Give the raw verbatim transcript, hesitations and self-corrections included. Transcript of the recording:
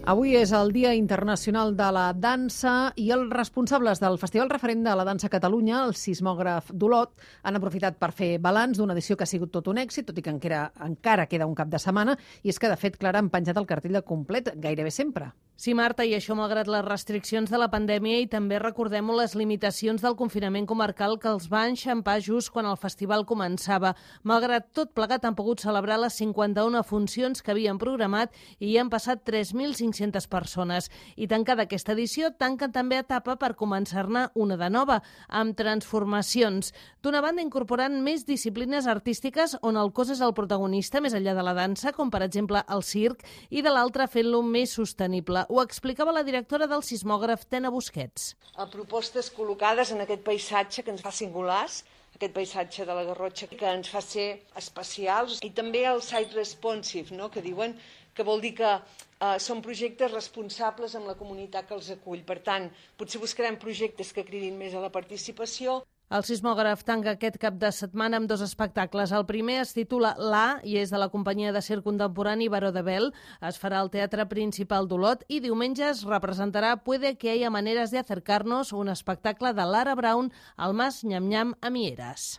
Avui és el Dia Internacional de la Dansa i els responsables del Festival Referent de la Dansa a Catalunya, el sismògraf d'Olot, han aprofitat per fer balanç d'una edició que ha sigut tot un èxit, tot i que encara, encara queda un cap de setmana, i és que, de fet, Clara, han penjat el cartell de complet gairebé sempre. Sí, Marta, i això malgrat les restriccions de la pandèmia i també recordem les limitacions del confinament comarcal que els va enxampar just quan el festival començava. Malgrat tot plegat han pogut celebrar les cinquanta-una funcions que havien programat i hi han passat tres mil cinc-centes persones. I tancada aquesta edició, tanquen també etapa per començar-ne una de nova, amb transformacions. D'una banda, incorporant més disciplines artístiques on el cos és el protagonista més enllà de la dansa, com per exemple el circ, i de l'altra fent-lo més sostenible. Ho explicava la directora del sismògraf, Tena Busquets. A propostes col·locades en aquest paisatge que ens fa singulars, aquest paisatge de la Garrotxa que ens fa ser especials, i també el site responsive, no? que diuen que vol dir que eh, són projectes responsables amb la comunitat que els acull. Per tant, potser buscarem projectes que cridin més a la participació. El sismògraf tanca aquest cap de setmana amb dos espectacles. El primer es titula L'A i és de la companyia de circ contemporani Baró de Bel. Es farà al Teatre Principal d'Olot i diumenge es representarà Puede que haya maneras de acercarnos, un espectacle de Lara Brown al Mas Nyam Nyam a Mieres.